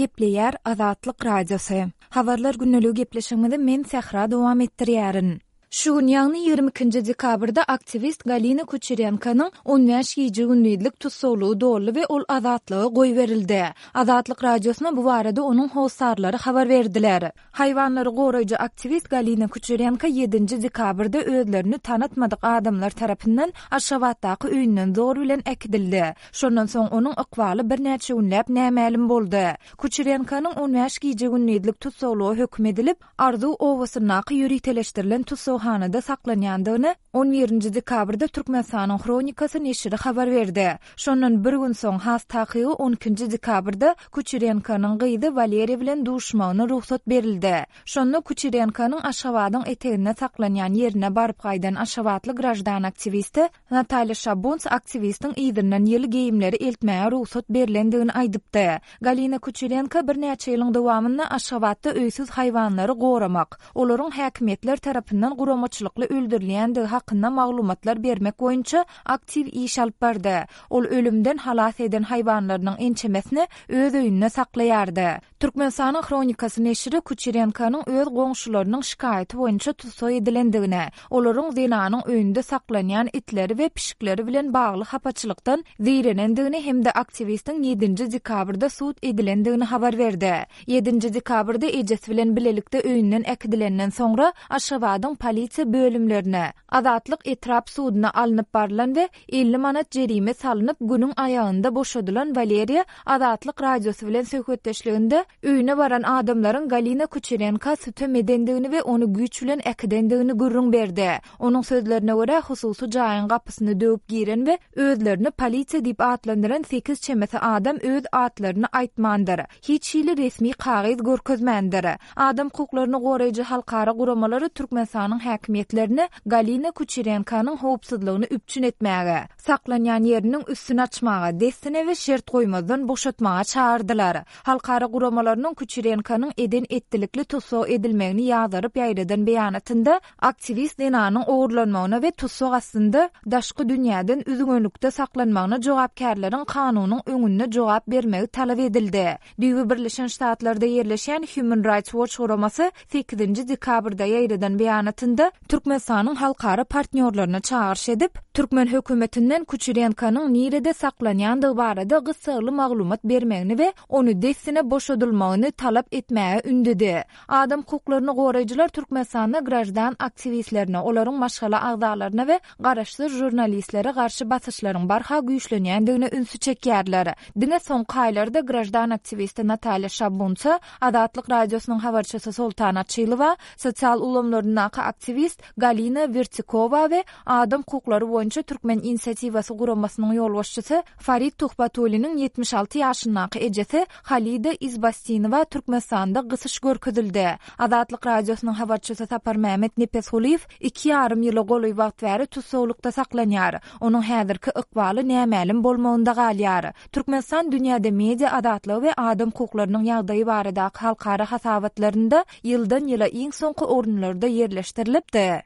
Gepleýär Azatlyk Radiosy. Habarlar gündeligi gepleşigimizi men Sähra dowam etdirýärin. Şu gün, ýagny 22-nji dekabrda aktiwist Galina Kuçerenkonyň 15 gije-gündizlik tussaglygy doldy we ol azatlyga goýberildi. Azatlyk Radiosyna bu barada onuň hossarlary habar berdiler. Haýwanlary goraýjy aktiwist Galina Kuçerenko ýedinji dekabrda özlerini tanatmadyk adamlar tarapyndan Aşgabatdaky öýünden zor bilen äkidildi. Şondan soň onuň ykbaly birnäçe günläp nämälim boldy. Kuçerenkonyň 15 gije-gündizlik tussaglyga höküm edilip, Arzuw obasyndaky ýöriteleşdirilen tussaghanada saklanýandygyny on birinji dekabrda Türkmenistanyň Hronikasy neşiri habar berdi. Şondan bir gün soň, has takygy on ikinji dekabrda Kuçerenkonyň gyzy Waleriýa bilen duşmagyna rugsat berildi. Şonda Kuçerenkonyň Aşgabadyň eteginde saklanýan ýerine baryp gaýdan aşgabatly graždan aktiwisti Natalýa Şabunts aktiwistiň yzyndan ýyly geýimleri eltmäge rugsat berlendigini aýdypdy. Galina Kuçerenko birnäçe ýylyň dowamynda Aşgabatda öýsüz haýwanlary goramak, olaryň häkimiýetler tarapyndan guramaçylykly öldürilýändigi hakynda maglumatlar bermek boýunça aktiw iş alyp bardy. Ol ölümden halas eden haýwanlarynyň ençemesini öz öýünde saklaýardy. Türkmenistanyň Hronikasy neşiri Kuçerenkonyň öz goňşularynyň şikaýaty boýunça tussag edilendigini, olaryň zenanyň öýünde saklanýan itleri we pişikleri bilen bagly hapaçylykdan zeýrenendigini hem-de aktiwistiň ýedinji dekabrda sud edilendigini habar berdi. Ýedinji dekabrda ejesi bilen bilelikde öýünden äkidilenden soňra Aşgabadyň polisiýa bölümlerine, Azatlyk etrap suduna alnyp barlan we 50 manat jerime salnyp, günüň aýagynda boşadylan Waleriýa Azatlyk Radiosy bilen söhbetdeşliginde öýüne baran adamlaryň Galina Kuçerenka sütem edendigini we ony güýç bilen äkidendigini gürrüň berdi. Onuň sözlerine görä, hususy jaýyň gapysyny döwüp giren we özlerini polisiýa diýip atlandyran sekiz çemesi adam öz atlaryny aýtmandyr, hiç hili resmi kagyz görkezmändir. Adam hukuklaryny goraýjy halkara guramalary Türkmenistanyň häkimiýetlerine Galina Kuçerenkonyň howpsuzlygyny üpjün etmäge, saklanýan ýeriniň üstüni açmaga, dessine we şert goýmazdan boşatmaga çagyrdylar. Halkara guramalarynyň Kuçerenkonyň eden-etdilikli tussag edilmegini ýazgaryp ýaýradan beýanatynda aktiwist zenanyň ogurlanmagyna we tussag astynda daşky dünýäden üzňelikde saklanmagyna jogapkärleriň kanunyň öňünde jogap bermegi talap edildi. Düýbi Birleşen Ştatlarda ýerleşýän Human Rights Watch guramasy sekizinji dekabrda ýaýradan beýanatynda Türkmenistanyň halkara partnýorlaryna çagyryş edip, türkmen hökümetinden Kuçerenkonyň nirede saklanýandygy barada gyssagly maglumat bermegini we ony dessine boşadylmagyny talap etmäge ündedi. Adam hukuklaryny goraýjylar Türkmenistanda graždan aktiwistlerine, olaryň maşgala agzalaryna we garaşsyz žurnalistlere garşy basyşlaryň barha güýçlenýändigine ünsi çekýärler. Diňe soňky aýlarda graždan aktiwisti Natalýa Şabunsa, Azatlyk Radiosynyň habarçysy Soltan Açylowa, sosial ulgamlaryndaky aktiwist Galina Wertikowa we Adam hukuklary boýunça Türkmen inisiatiwasy guramasynyň ýolbaşçysy Farid Tuhbatulliniň 76 ýaşyndaky ejesi Halida Izbastinowa Türkmenistanda gysyş görkezildi. Azatlyk Radiosynyň habarçysy Saparmämmet Nepesgulyýew iki ýarym ýyla golaý wagt bäri tussaglykda saklanýar. Onuň häzirki ykbaly nämälim bolmagynda galýar. Türkmenistan dünýäde media azatlygy we adam hukuklarynyň ýagdaýy baradaky halkara hasabatlarynda ýyldan-ýyla iň soňky orunlarda ýerleşdirilipdi.